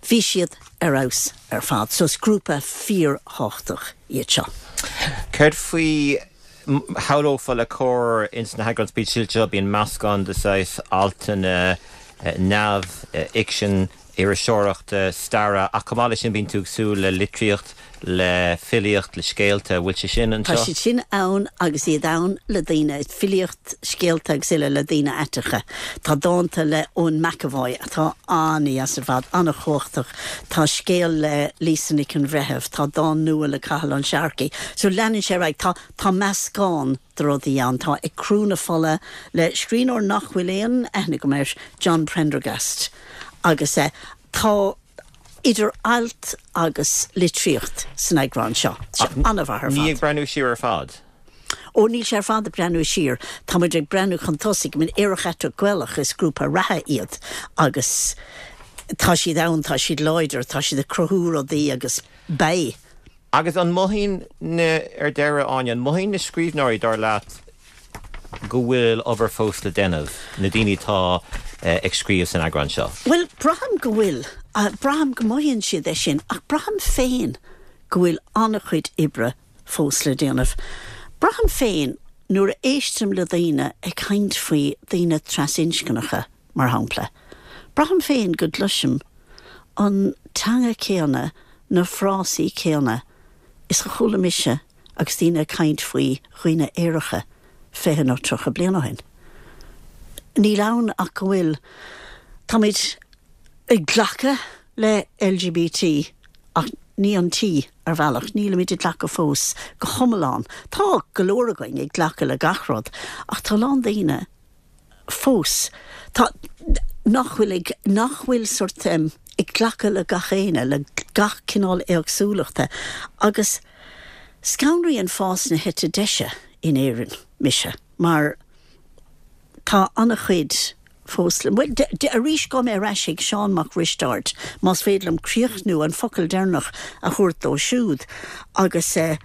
Speaker 5: Bhí siad ar fheabhas ar fad. So is grúpa fíorthábhachtach iad seo.
Speaker 1: Céard faoi, shamhlófá le Comhar ins na heagráin speisialta seo, bíonn meascán de saghas altanna neamhfhicsin, iriseoireachta, staire, ach chomh maith leis sin bíonn tú ag súil le litríocht, le filíocht, le scéalta. Bhfuil sé sin
Speaker 5: anseo? Tá siad sin ann agus iad ann le daoine, filíocht, scéalta agus uile le daoine aiteacha. Tá dánta le Eoin McEvoy atá an-dheas ar fad, an-chumhachtach. Tá scéal le Lisa Nic an Bhreithimh, tá dán nua le Cathal Ó Searcaigh. So leanann sé ar aghaidh. Tá, tá meascán de rudaí ann. Tá Ag Crú na Fola le scríbhneoir nach bhfuil aon aithne agam air, John Prendergast, agus tá idir ailt agus litríocht san eagrán seo. Tá sé an-mhaith ar fad.
Speaker 1: Ní ag breathnú siar ar fad?
Speaker 5: Ó, níl sé ar fad ag breathnú siar. Tá muid ag breathnú chun tosaigh. I mean, Aerach Aiteach Gaelach, is grúpa reatha iad agus tá siad ann, tá siad láidir, tá siad ag cruthú rudaí agus beidh.
Speaker 1: Agus an mothaíonn na, ar deireadh, Áine, an mothaíonn na scríbhneoirí, dar leat, go bhfuil obair fós le déanamh, na daoine atá ag scríobh san eagrán seo?
Speaker 5: Bhuel, braithim go bhfuil. Braithim go mothaíonn siad é sin, ach braithim féin go bhfuil an-chuid oibre fós le déanamh. Braithim féin, nuair a éistim le daoine ag caint faoi daoine trasinscneacha, mar shampla, braithim féin go gcloisim an teanga céanna, na frásaí céanna is a chuala mise agus daoine ag caint faoi dhaoine aeracha 20 nó 30 bliain ó shin. Níl ann ach go bhfuil, táimid ag glacadh le LGBT ach ní an T ar bhealach, nílimid ag glacadh fós go hiomlán. Tá go leor againn ag glacadh le gach rud ach tá a lán daoine, fós, tá, nach bhfuil ag, nach bhfuil sort em ag glacadh le gach éinne, le. gach cineál éagsúlachta agus scanraíonn fás na heite deise in Éirinn mise mar tá an-chuid fós le, bhuel, arís gabhfaidh mé ar ais ag Seán Mac Risteaird más féidir liom críochnú, an focal deireanach a thabhairt dó siúd agus eh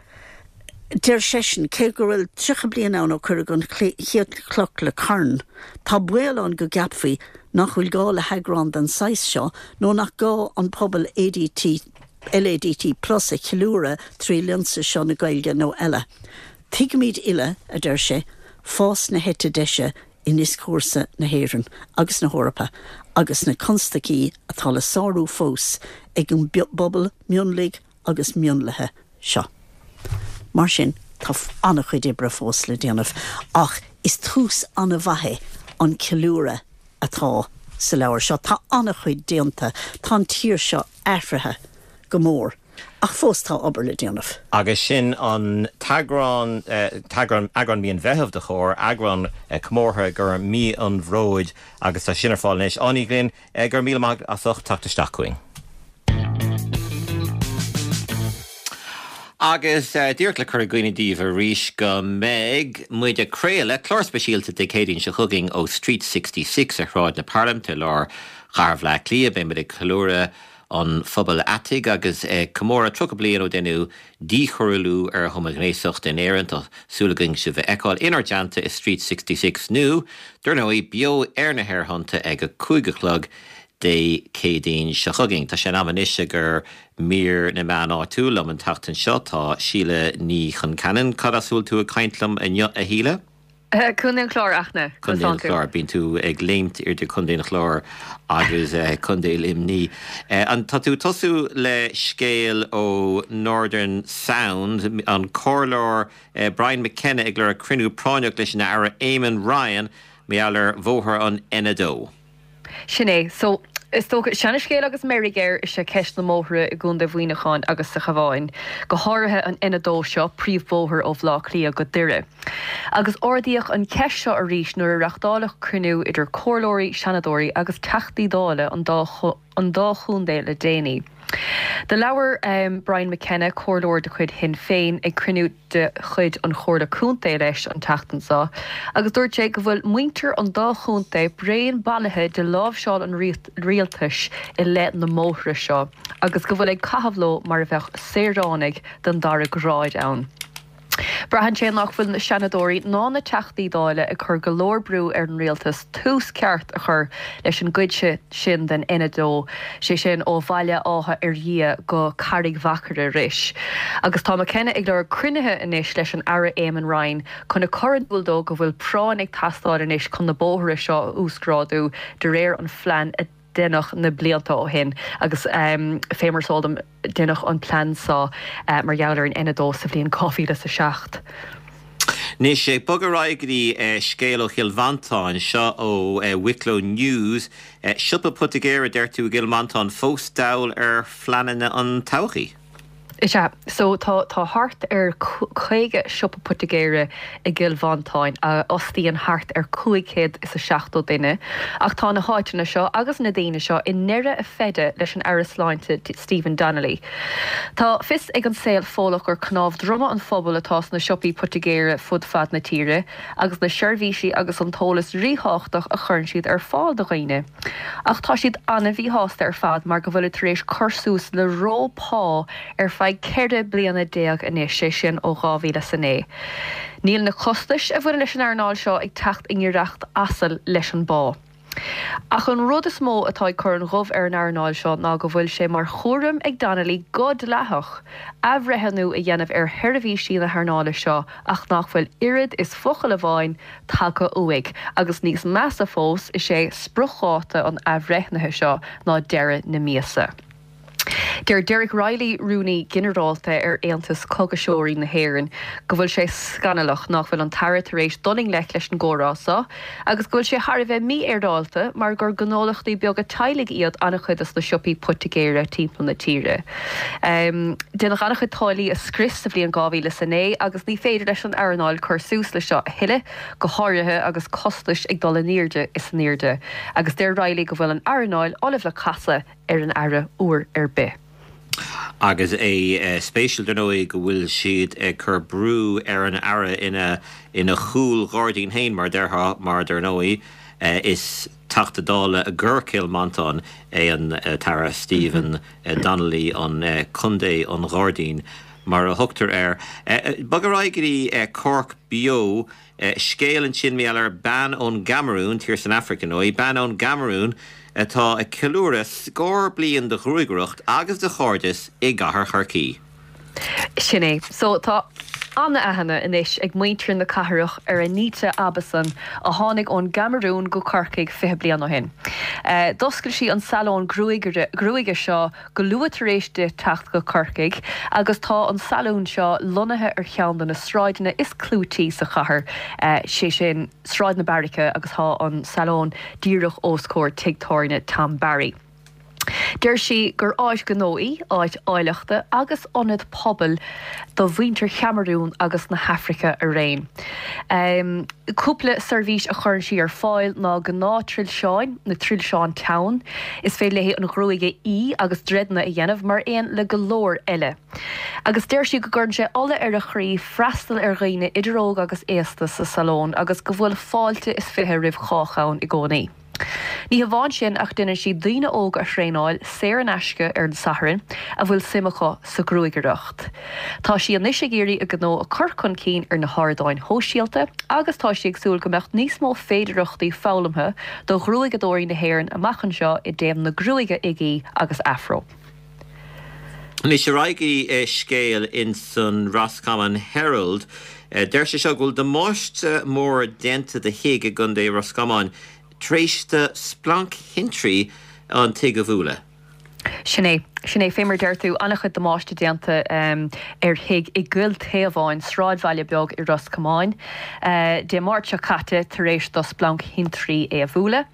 Speaker 5: deir seisean, cé go bhfuil 30 bliain ann ó cuireadh an chéad chloch le carn, tá baol ann go gceapfaí nach bhfuil gá le heagrán den saghas seo nó nach gá an pobal ADT, LADT plus a cheiliúradh trí lionsa seo na Gaeilge nó eile. Tuigimid uile, a deir sé, fás na heite deise i ndioscúrsa na hÉireann agus na hEorpa agus na constaicí atá le sárú fós ag an bpobal mionlaigh agus mionlaithe seo. Mar sin, tá an-chuid oibre fós le déanamh ach is tús an-mhaith é an ceiliúradh atá sa leabhar seo. Tá an-chuid déanta, tá an tír seo athraithe go mór ach fós tá obair le déanamh.
Speaker 1: Agus sin an t-eagrán, eagrán, eagrán mí an Mheithimh de Chomhar, eagrán comórtha gur mí an Bhróid agus tá sin ar fáil anois. Áine Ní Ghlinn, go raibh míle maith agat as ucht teacht isteach chugainn. Agus díreach le cur i gcuimhne daoibh arís go mbeidh muid ag craoladh clár speisialta Dé Céadaoin seo chugainn ó Street 66 ar Shráid na Parlaiminte i lár chathair Bhaile Átha Cliath. Beidh muid ag ceiliúradh an phobail aitigh agus ag comóradh 30 bliain ó deineadh díchoiriúlú ar homaighnéasacht in Éirinn. Tá súil againn sibh a fheiceáil inár dteannta i Street 66 nó, dar ndóigh, beo ar na haerthonnta ag a 5 a chlog Dé Céadaoin seo chugainn. Tá sé in am anois ag ar mír na meán áitiúil liom an tseachtain seo. Tá Síle Ní Chonceanainn. Cad as a bhfuil tú ag caint liom inniu, a Shíle?
Speaker 6: Contae an Chláir, Fhachtna.
Speaker 1: Contae an Chláir. Bíonn tú ag léimt idir Contae an Chláir agus Contae Luimní. An tá tú ag tosú le scéal ó Northern Sound, an Comhairleoir Brian McKenna ag lorg cruinniú práinneach leis an Aire Eamon Ryan mar gheall ar bhóthar an N2.
Speaker 6: Sin é. So, is dócha, seana-scéal agus meirg air is ea ceist na mbóithre i gContae Mhuineacháin agus sa Chabhán, go háirithe an N2 seo, príomhbhóthar ó Bhaile Átha Cliath go Doire. Agus ardaíodh an cheist seo arís nuair a reachtáileadh cruinniú idir comhairleoirí, seanadóirí agus Teachtaí Dála an dá an dá chontae le déanaí. Do labhair Brian McKenna, comhairleoir de chuid Shinn Féin, ag cruinniú de chuid an Chomhairle Contae leis an tseachtain seo agus dúirt sé go bhfuil muintir an dá chontae bréan bailithe de láimhseáil an rialtais i leith na mbóithre seo agus go bhfuil ag caitheamh leo mar a bheadh saoránaigh den dara grád ann. Braitheann sé nach bhfuil na Seanadóirí ná na Teachtaí Dála ag cur go leor brú ar an rialtas tús ceart a chur leis an gcuid sin den N2, sé sin ó Bhaile Átha Fhirdhia go Carraig Mhachaire Rois. Agus tá McKenna ag lorg cruinnithe anois leis an Aire Eamon Ryan chun a chur in iúl dó go bhfuil práinn ag teastáil anois chun na bóithre seo a uasghrádú de réir an phlean a deineadh na blianta ó shin agus fé mar is eol dom deineadh an plean seo mar gheall ar an N2 sa bhliain 2007.
Speaker 1: Anois, ag bogadh ar aghaidh go dtí scéal ó Chill Mhantáin, seo ó Wicklow News. Siopa poitigéara, deir tú, i gCill Mhantáin fós dall ar phleananna an todhchaí.
Speaker 6: Is ea. So tá tá thart ar 50 siopa poitigéara i gCill Mhantáin a fhostaíonn thart ar 570 duine ach tá na háiteanna seo agus na daoine seo i ndeireadh a feide leis an Aire Sláinte Stephen Donnelly. Tá fios ag an saol Fódhlach gur cnámh droma an phobail atá sna siopaí poitigéara fud fad na tíre agus na seirbhísí agus an t-eolas ríthábhachtach a chuireann siad ar fáil do dhaoine. Ach tá siad an-mhíshásta ar fad mar go bhfuilid tar éis cur suas le reo pá ar feadh 14 bliana anois, sé sin ó 2009. Níl na costais a bhaineann leis an earnáil seo ag teacht i ngiorracht asail leis an bpá. Ach an rud is mó atá ag cur an ghoimh ar an earnáil seo ná go bhfuil sé mar chúram ag Donnelly go dleathach athbhreithniú a dhéanamh ar sheirbhísí na hearnála seo ach nach bhfuil oiread is focal amháin tagtha uaidh, agus níos measa fós, is é spriocdháta an athbhreithnithe seo ná deireadh na míosa. Deir Derek Reilly, Rúnaí Ginearálta ar Aontas Cógaiseoirí na hÉireann, go bhfuil sé scannalach nach bhfuil an tAire tar éis dul i ngleic leis an gcomhrá seo agus go bhfuil sé thar a bheith mífhéaráilte mar gur gnólachtaí beaga teaghlaigh iad an-chuid de na siopaí poitigéara timpeall na tíre. Deineadh an-chuid táillí a scrios sa bhliain 2009 agus ní féidir leis an earnáil cur suas le seo a thuilleadh, go háirithe agus costais ag dul in airde is in airde. Agus deir Reilly go bhfuil an earnáil ullamh le casadh ar an Aire uair ar bith.
Speaker 1: Agus é spéisiúil, dar ndóigh, go bhfuil siad ag cur brú ar an Aire ina ina chúlghairdín féin, mar a déarfá, mar dar ndóigh, is Teachta Dála i gCill Mhantáin é an tAire Stephen Donnelly, an Contae an Ghairdín, mar a thugtar air. Bog ar aghaidh go dtí Cork Beo. Scéal ansin mar gheall ar bean ón gCamarún, tír san Afraic ar ndóigh, bean ón gCamarún atá ag ceiliúradh scór bliain de ghruagaireacht agus de chairdeas i gcathair Chorcaí.
Speaker 6: Sin é. So, tá an-aithne anois ag muintir na cathrach ar Anita Abeson a tháinig ón gCamarún go Corcaigh 20 bliain ó shin. D'oscail sí an salón gruaige seo go luath tar éis di teacht go Corcaigh agus tá an salún seo lonnaithe ar cheann de na sráideanna is clúití sa chathair, sé sin Sráid na Beairice agus tá an salón díreach os comhair tigh tábhairne Tom Barry. Deir sí gur áit ghnó í, áit áilleachta agus ionad pobail do mhuintir Chamarún agus na hAfraice araon. Cúpla seirbhís a chuireann sí ar fáil ná gnáth-trilseáin, na trilseáin teann, is féidir léi an ghruaig a fhí agus dreideanna a dhéanamh, mar aon le go leor eile. Agus deir sí go gcuireann sé ola ar a chroí freastal ar dhaoine idir óg agus aosta sa salón agus go bhfuil fáilte is 20 roimh chách ann i gcónaí. Ní hamháin sin ach déanann sí daoine óga a thraenáil, saor in aisce ar an Satharn, a bhfuil suim acu sa ghruagaireacht. Tá sí anois ag iarraidh a gnó a cur chun cinn ar na hardáin shóisialta agus tá sí ag súil go mbeadh níos mó féidearthachtaí foghlamtha do ghruaigeadóirí na hÉireann amach anseo i dtaobh na gruaige uigí agus afro.
Speaker 1: Anois ar aghaidh go dtí scéal ins an Roscommon Herald. Deir sé seo go bhfuil damáiste mór déanta do thigh i gContae Ros Comáin tar éis do splanc thintrí an tigh a bhualadh.
Speaker 6: Sin é. Sin é. Fé mar a deir tú, an-chuid damáiste déanta ar thigh i gCill Taobháin, sráidbhaile beag i Ros Comáin, Dé Máirt seo caite tar éis do splanc thintrí é a bhualadh.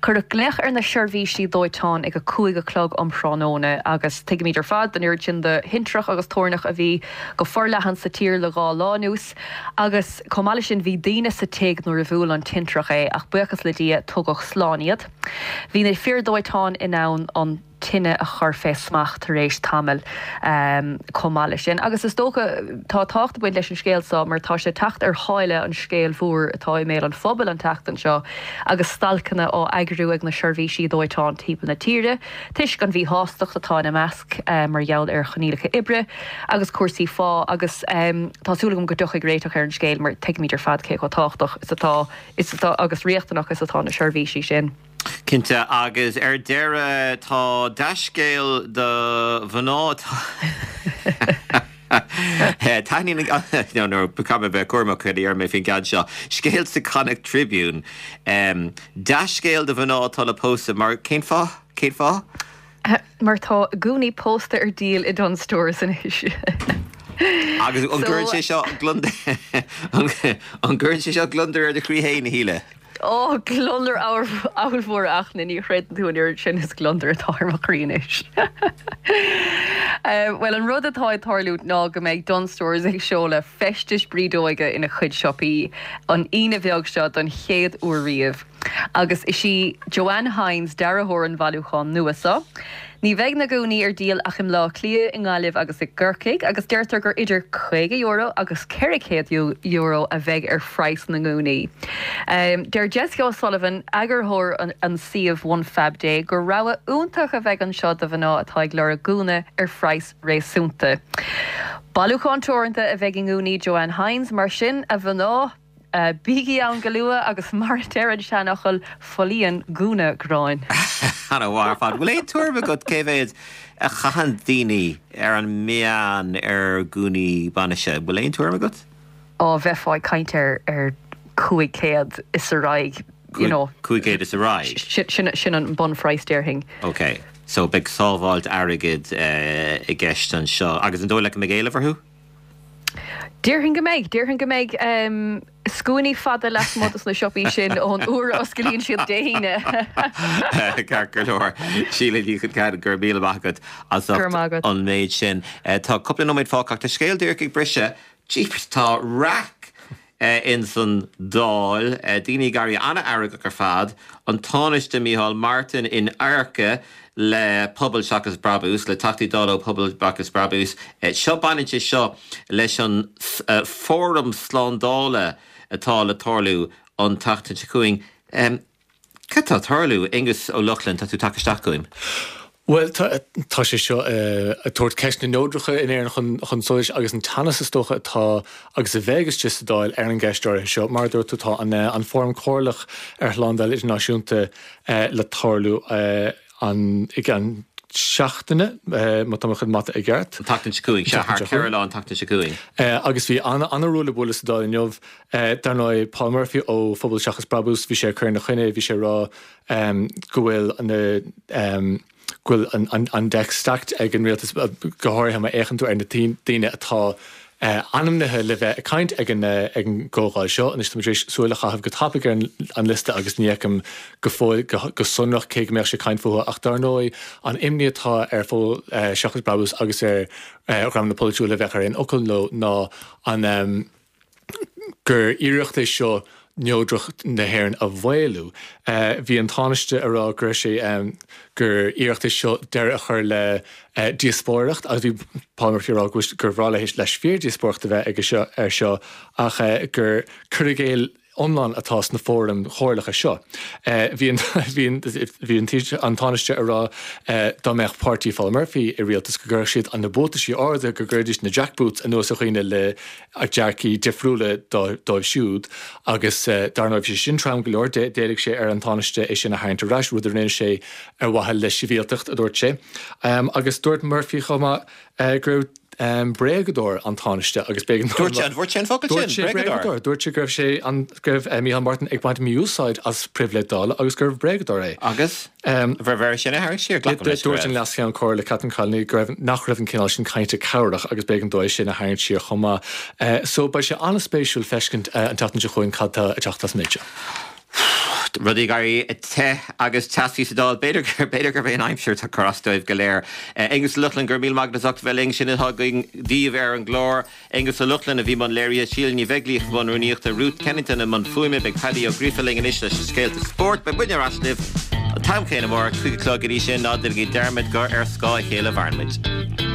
Speaker 6: Cuireadh glaoch ar na seirbhísí dóiteáin ag 5 a chlog um thráthnóna agus tuigimid ar fad an oiread sin de thintreach agus toirneach a bhí go forleathan sa tír le dhá lá anuas agus chomh maith leis sin bhí daoine sa tigh nuair a bhuail an tintreach é ach buíochas le Dia tugadh slán iad. Bhí na fir dóiteáin in ann an. tine a chur fé smacht tar éis tamaill chomh maith leis sin. Agus is dócha, tá tábhacht ag baint leis an scéal seo mar tá sé ag teacht ar sháile an scéil mhór atá i mbéal an phobail an tseachtain seo agus stailceanna á eagrú ag na seirbhísí dóiteáin timpeall na tíre toisc an mhíshástacht atá ina measc mar gheall ar choinníollacha oibre agus cúrsaí phá agus tá súil agam go dtiocfaidh réiteach ar an scéal mar tuigimid ar fad cé chomh tábhachtach is atá is atá agus riachtanach is atá na seirbhísí sin.
Speaker 1: Cinnte, agus ar deireadh tá dea-scéal do mhná atá Taitníonn an, no, no, caithfidh mé bheith cúramach cad a deir mé faoin gceann seo. Scéal sa Connacht Tribune. Dea-scéal do mhná atá le pósadh mar, cén fáth? Cén fáth?
Speaker 6: Mar tá gúnaí pósta ar díol i Dunnes Stores anois.
Speaker 1: Agus an gcuireann sé seo gliondar, an gcuireann sé seo gliondar ar do chroí féin, a Shíle?
Speaker 6: Ó, gliondar ollmhór a Fhachtna, ní chreideann tú an oiread sin is gliondar atá ar mo chroí anois. Bhuel, an rud atá ag tarlú ná go mbeidh Dunnes Stores ag seoladh feistis brídeoige ina chuid siopaí an Aoine bheag seo don chéad uair riamh. Agus is í Joanne Hynes dearthóir an bhailiúcháin nua seo. Ní bheidh na gúnaí ar díol ach i mBleá Cliath, i nGaillimh agus i gCorcaigh agus deirtear gur idir €50 agus €400 a bheidh ar phraghas na ngúnaí. Deir Jessica O'Sullivan, eagarthóir an suímh One Fab Day, gur rogha iontach a bheidh anseo do mhná atá ag lorg gúna ar phraghas réasúnta. Bailiúchán teoranta a bheidh i ngúnaí Joanne Hynes, mar sin, a mhná! Bígí ann go luath agus mar a deir an seanfhocal, folaíonn gúna gráin.
Speaker 1: Ana-mhaith ar fad. Bhfuil aon tuairim agat cé mhéad a chaitheann daoine ar an meán ar gúnaí bainise? Bhfuil aon tuairim agat?
Speaker 6: Ó, bheifeá ag caint ar ar 500 is ar aghaidh, you know.
Speaker 1: 500 is ar aghaidh?
Speaker 6: Sin sin an bunphraghas déarfainn.
Speaker 1: Ok. So beidh sábháilt airgid i gceist anseo. Agus an dóigh leat go mbeidh éileamh orthu?
Speaker 6: Déarfainn go mbeidh. Déarfainn go mbeidh scuainí fada lasmuigh dos na siopaí sin ón uair a osclaíonn siad Dé hAoine.
Speaker 1: Ceart go leor. Síle Ní Choncheadha, go raibh míle maith agat as ucht an méid sin. Tá cúpla nóiméad fágtha ach tá scéal díreach ag briseadh. Jeepers, tá raic! ins an Dáil, daoine ag éirí an-fheargach ar fad, an Tánaiste Micheál Martin in adharca le Pobal Seachas Brabús, le Teachtaí Dála ó Pobal Seachas Brabús. Seo, baineann sé seo leis an Fóram Slándála atá le tarlú an tseachtain seo chugainn. Cad tá ag tarlú? Aengus Ó Lochlainn, tá tú ag teacht isteach chugam.
Speaker 7: Bhuel, tá sé seo ag tabhairt ceist na neodrachta in Éirinn chun solais agus an teannas is dócha atá agus a bheidh istigh sa Dáil ar an gceist áirithe seo. Mar a dúirt tú, tá an Fóram Comhairleach ar Shlándáil Idirnáisiúnta le tarlú an i gceann seachtaine, má tá mo chuid mata i gceart.
Speaker 1: An tseachtain seo chugainn, sea, thar cheithre lá an tseachtain seo chugainn.
Speaker 7: Agus bhí an-ruaille buaille sa Dáil inniu. Dar ndóigh, Paul Murphy ó Phobal Seachas Brabús, bhí sé ag cur ina choinne, bhí sé ag rá go bhfuil na, go bhfuil an deck stacked ag an rialtas, go háirithe má fhéachann tú ar na daoine atá ainmnithe le bheith ag caint ag an gcomhdháil seo. Anois, tá mé tar éis súil a chaitheamh go tapaidh ar an liosta agus ní fheicim go fóill go sonrach cé go mbeadh sé ag caint fúthu ach dar ndóigh an imní atá ar Phobal Seachas Brabús agus ar dhreamanna polaitiúla a bheadh ar aon fhocal leo ná an gur iarracht é seo neodracht na hÉireann a mhaolú. Bhí an Tánaiste ag rá go raibh sé, gur iarracht é seo deireadh a chur le díospóireacht agus bhí Paul Murphy ag rá gur bhreá leis fíordhíospóireacht a bheith aige seo air seo ach gur cur i gcéill iomlán atá sna fóraim chomhairleacha seo. Bhí an bhí an Tánaiste ag rá dá mbeadh páirtí Phaul Murphy i rialtas go gcuirfeadh siad an na buataisí arda, go gcuirfidís na jackboots anuas ar dhaoine le dearcaí difriúla dóibh siúd agus dar ndóigh bhí sé sin trom go leor, d'éiligh sé ar an Tánaiste é sin a tharraingt ar ais, rud a rinne sé ar mhaithe le sibhialtacht, a dúirt sé. Agus dúirt Murphy chomh maith go raibh bréagadóir an Tánaiste agus b'éigean
Speaker 1: dó Dúirt sé, an ndúirt sé an focal sin? Dúirt sé
Speaker 7: bréagadóir. Dúirt sé go raibh sé an, go raibh Micheál Martin ag baint mí-úsáid as pribhléid Dála agus gurbh bréagadóir é.
Speaker 1: Agus? Bhí air sin a tharraingt siar, glacaim leis
Speaker 7: go raibh. Dúirt an Leas-Cheann Comhairle Catherine Connolly go raibh, nach raibh an cineál sin cainte cabhrach agus b'éigean dó é sin a tharraingt siar chomh maith. So beidh sé an-spéisiúil feiscint an tseachtain seo chugainn cad tá ag teacht as an méid seo.
Speaker 1: Rudaí ag éirí te agus teasaí sa Dáil. B'fhéidir b'fhéidir gurb é an aimsir atá ag cur as dóibh go léir. Aengus Ó Lochlainn, go raibh míle maith agat as ucht a bheith linn. Sin atá againn daoibh ar an gclár. Aengus Ó Lochlainn a bhí i mbun léirithe, Síle Ní Bheaglaoich i mbun rúnaíochta, Ruth Kennington i mbun fuaime. Beidh Paddy Ó Gríofa linn anois leis na scéalta spóirt. Beidh muidne ar ais libh an t-am céanna amárach, 5 a chlog. Go dtí sin, ná déanaigí dearmad gur ar scáth a chéile a mhaireann muid.